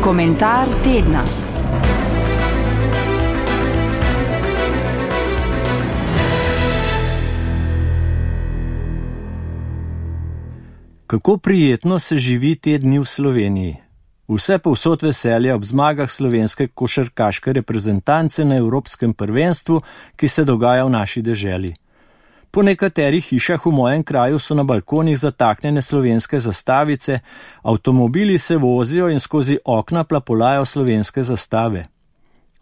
Komentar tedna. Kako prijetno se živi te dni v Sloveniji. Vse povsod veselje ob zmagah slovenske košarkaške reprezentance na Evropskem prvenstvu, ki se dogaja v naši deželi. Po nekaterih hišah v mojem kraju so na balkonih zataknjene slovenske zastavice, avtomobili se vozijo in skozi okna plapolajo slovenske zastave.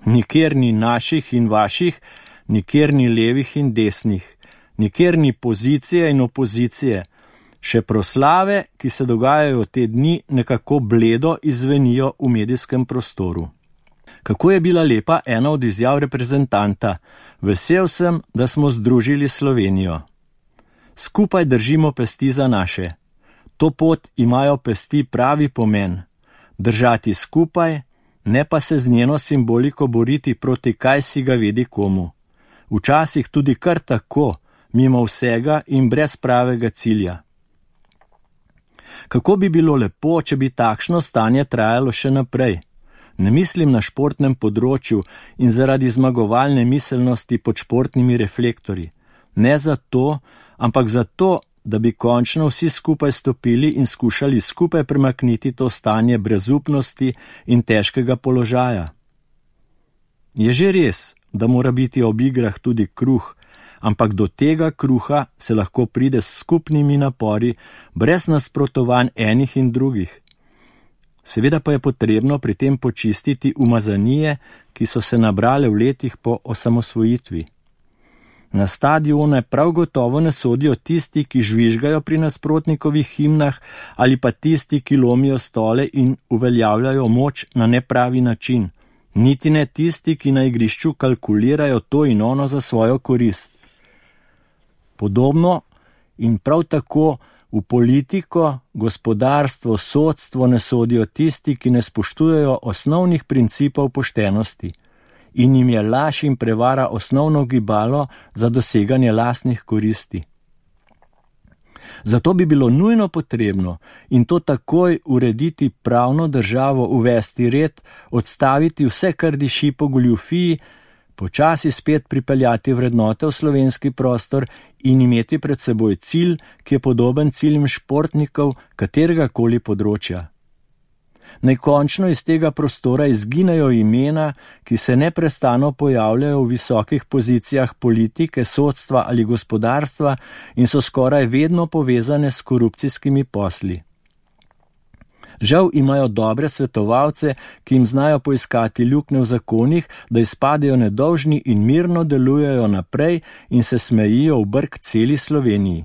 Nikjer ni naših in vaših, nikjer ni levih in desnih, nikjer ni pozicije in opozicije. Še proslave, ki se dogajajo te dni, nekako bledo izvenijo v medijskem prostoru. Kako je bila lepa ena od izjav reprezentanta: vesel sem, da smo združili Slovenijo. Skupaj držimo pesti za naše. To pot imajo pesti pravi pomen. Držati skupaj, ne pa se z njeno simboliko boriti proti kaj si ga vedi komu. Včasih tudi kar tako, mimo vsega in brez pravega cilja. Kako bi bilo lepo, če bi takšno stanje trajalo še naprej. Ne mislim na športnem področju in zaradi zmagovalne miselnosti pod športnimi reflektorji. Ne zato, ampak zato, da bi končno vsi skupaj stopili in skušali skupaj premakniti to stanje brezupnosti in težkega položaja. Je že res, da mora biti ob igrah tudi kruh, ampak do tega kruha se lahko pride s skupnimi napori, brez nasprotovanj enih in drugih. Seveda pa je potrebno pri tem počistiti umazanije, ki so se nabrale v letih po osamosvojitvi. Na stadione prav gotovo ne sodijo tisti, ki žvižgajo pri nasprotnikovih himnah, ali pa tisti, ki lomijo stole in uveljavljajo moč na nepravi način. Niti ne tisti, ki na igrišču kalkulirajo to in ono za svojo korist. Podobno in prav tako v politiko, gospodarstvo, sodstvo ne sodijo tisti, ki ne spoštujejo osnovnih principov poštenosti in jim je laž in prevara osnovno gibalo za doseganje lastnih koristi. Zato bi bilo nujno potrebno in to takoj urediti pravno državo, uvesti red, odstaviti vse, kar diši po goljufiji, počasi spet pripeljati vrednote v slovenski prostor in imeti pred seboj cilj, ki je podoben ciljem športnikov kateregakoli področja. Naj končno iz tega prostora izginejo imena, ki se neprestano pojavljajo v visokih pozicijah politike, sodstva ali gospodarstva in so skoraj vedno povezane s korupcijskimi posli. Žal imajo dobre svetovalce, ki jim znajo poiskati luknje v zakonih, da izpadejo nedolžni in mirno delujejo naprej in se smejijo v brk celi Sloveniji.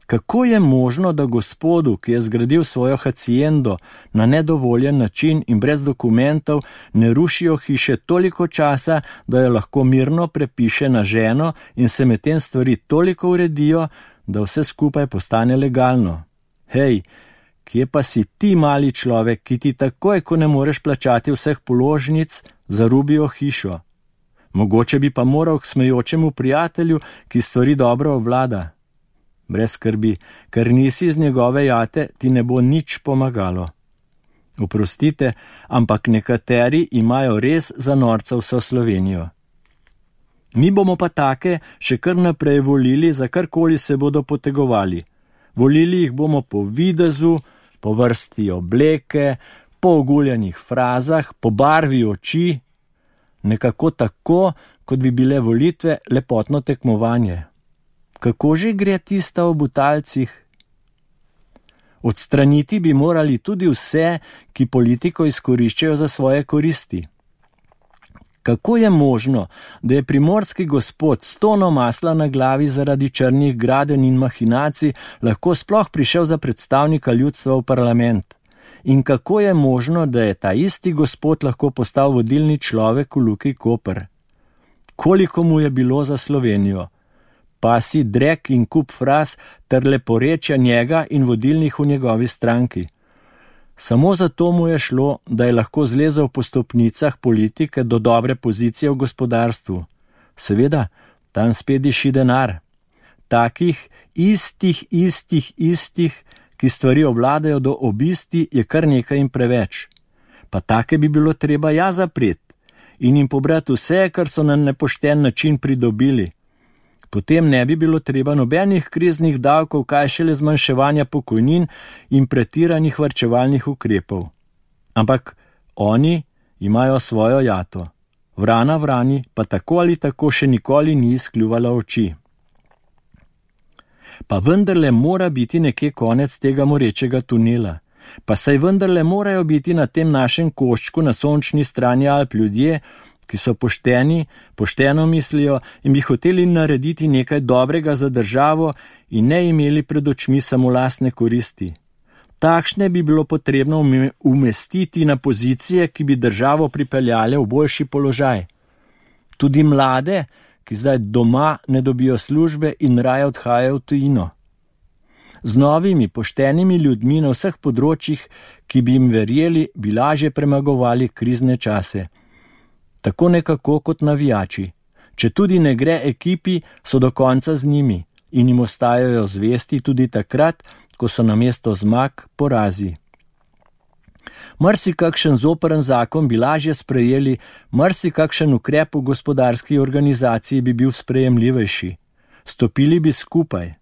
Kako je možno, da gospodu, ki je zgradil svojo haciendo na nedovoljen način in brez dokumentov, ne rušijo hiše toliko časa, da jo lahko mirno prepiše na ženo in se medtem stvari toliko uredijo, da vse skupaj postane legalno? Hej, kje pa si ti, mali človek, ki ti takoj, ko ne moreš plačati vseh položnic, zarubijo hišo? Mogoče bi pa moral k smejočemu prijatelju, ki stvari dobro obvlada. Brez skrbi, ker nisi iz njegove jate, ti ne bo nič pomagalo. Oprostite, ampak nekateri imajo res za norca vso Slovenijo. Mi bomo pa take še kar naprej volili, za karkoli se bodo potegovali. Volili jih bomo po videzu, po vrsti obleke, po oguljenih frazah, po barvi oči, nekako tako, kot bi bile volitve lepotno tekmovanje. Kako že gre tista o butalcih? Odstraniti bi morali tudi vse, ki politiko izkoriščajo za svoje koristi. Kako je možno, da je primorski gospod s tono masla na glavi zaradi črnih gradenj in mahinacij lahko sploh prišel za predstavnika ljudstva v parlament? In kako je možno, da je ta isti gospod lahko postal vodilni človek v Luki Koper? Koliko mu je bilo za Slovenijo? Pa si drek in kup fraz ter leporečja njega in vodilnih v njegovi stranki. Samo zato mu je šlo, da je lahko zlezel po stopnicah politike do dobre pozicije v gospodarstvu. Seveda, tam spet diši denar. Takih istih, ki stvari obvladajo do obisti, je kar nekaj in preveč. pa take bi bilo treba zapreti in jim pobrati vse, kar so na nepošten način pridobili. Potem ne bi bilo treba nobenih kriznih davkov, kaj šele zmanjševanja pokojnin in pretiranih varčevalnih ukrepov. Ampak oni imajo svojo jato. Vrana vrani pa tako ali tako še nikoli ni izkljuvala oči. Pa vendarle mora biti nekje konec tega morečega tunela. Pa saj vendarle morajo biti na tem našem koščku na sončni strani Alp ljudje, ki so pošteni, pošteno mislijo in bi hoteli narediti nekaj dobrega za državo in ne imeli pred očmi samo lastne koristi. Takšne bi bilo potrebno umestiti na pozicije, ki bi državo pripeljale v boljši položaj. Tudi mlade, ki zdaj doma ne dobijo službe in raje odhajajo v tujino. Z novimi, poštenimi ljudmi na vseh področjih, ki bi jim verjeli, bi lažje premagovali krizne čase. Tako nekako kot navijači. Če tudi ne gre ekipi, so do konca z njimi in jim ostajajo zvesti tudi takrat, ko so namesto zmag porazi. Marsikakšen zoprn zakon bi lažje sprejeli, marsikakšen ukrep v gospodarski organizaciji bi bil sprejemljivejši. Stopili bi skupaj.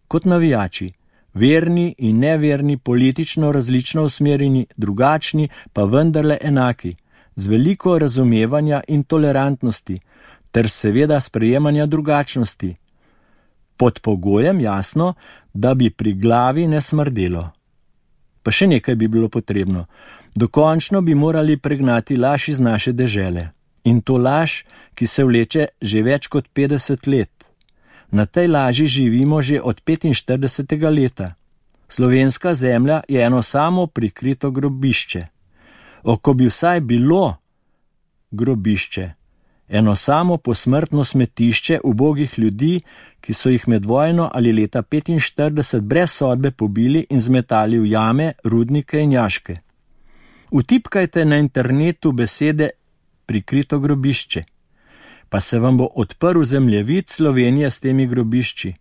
Kot navijači, verni in neverni, politično različno usmerjeni, drugačni, pa vendarle enaki, z veliko razumevanja in tolerantnosti, ter seveda sprejemanja drugačnosti. Pod pogojem, jasno, da bi pri glavi ne smrdelo. Pa še nekaj bi bilo potrebno. Dokončno bi morali pregnati laž iz naše dežele. In to laž, ki se vleče že več kot 50 let. Na tej laži živimo že od 45. leta. Slovenska zemlja je eno samo prikrito grobišče. Ko bi vsaj bilo grobišče, eno samo posmrtno smetišče ubogih ljudi, ki so jih med vojno ali leta 45 brez sodbe pobili in zmetali v jame, rudnike in jaške. Vtipkajte na internetu besede prikrito grobišče, pa se vam bo odprl zemljevid Slovenije s temi grobišči.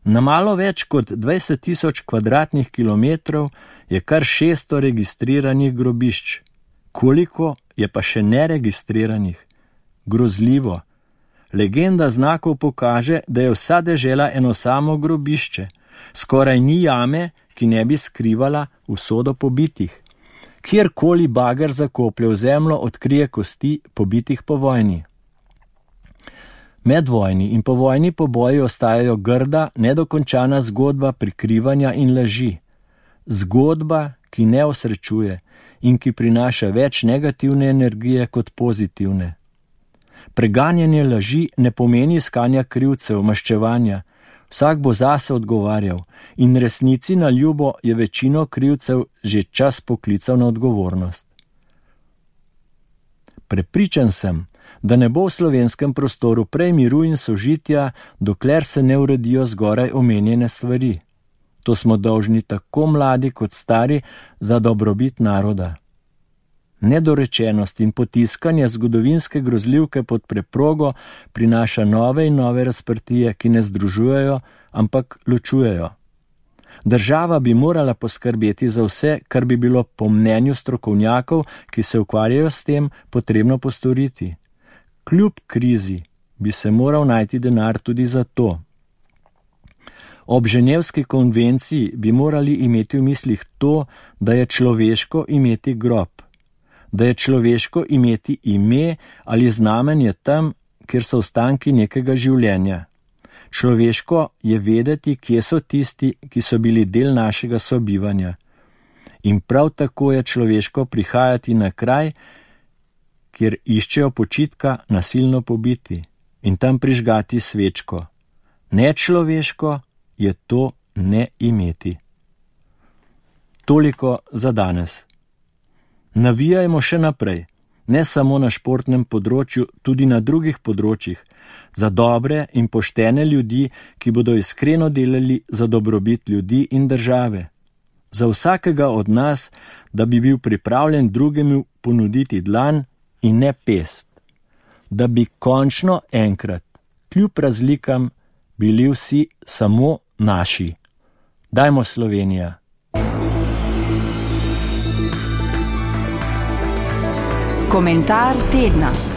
Na malo več kot 20.000 kvadratnih kilometrov je kar 600 registriranih grobišč. Koliko je pa še neregistriranih? Grozljivo. Legenda znakov pokaže, da je vsa dežela eno samo grobišče. Skoraj ni jame, ki ne bi skrivala usodo pobitih. Kjerkoli bager zakoplje v zemljo, odkrije kosti pobitih po vojni. Medvojni in povojni poboji ostajajo grda, nedokončana zgodba prikrivanja in laži. Zgodba, ki ne osrečuje in ki prinaša več negativne energije kot pozitivne. Preganjanje laži ne pomeni iskanja krivcev, maščevanja. Vsak bo zase odgovarjal in resnici na ljubo je večino krivcev že čas poklical na odgovornost. Prepričan sem, da ne bo v slovenskem prostoru prej miru in sožitja, dokler se ne uredijo zgoraj omenjene stvari. To smo dolžni tako mladi kot stari za dobrobit naroda. Nedorečenost in potiskanje zgodovinske grozljivke pod preprogo prinaša nove in nove razprtije, ki ne združujejo, ampak ločujejo. Država bi morala poskrbeti za vse, kar bi bilo po mnenju strokovnjakov, ki se ukvarjajo s tem, potrebno postoriti. Kljub krizi bi se moral najti denar tudi za to. Ob Ženevski konvenciji bi morali imeti v mislih to, da je človeško imeti grob, da je človeško imeti ime ali znamenje tam, kjer so ostanki nekega življenja. Človeško je vedeti, kje so tisti, ki so bili del našega sobivanja. In prav tako je človeško prihajati na kraj, kjer iščejo počitka nasilno pobiti in tam prižgati svečko. Nečloveško je to ne imeti. Toliko za danes. Navijajmo še naprej, ne samo na športnem področju, tudi na drugih področjih, za dobre in poštene ljudi, ki bodo iskreno delali za dobrobit ljudi in države. Za vsakega od nas, da bi bil pripravljen drugemu ponuditi dlan in ne pest. Da bi končno enkrat, kljub razlikam, bili vsi samo naši. Dajmo Slovenija! Komentar tedna.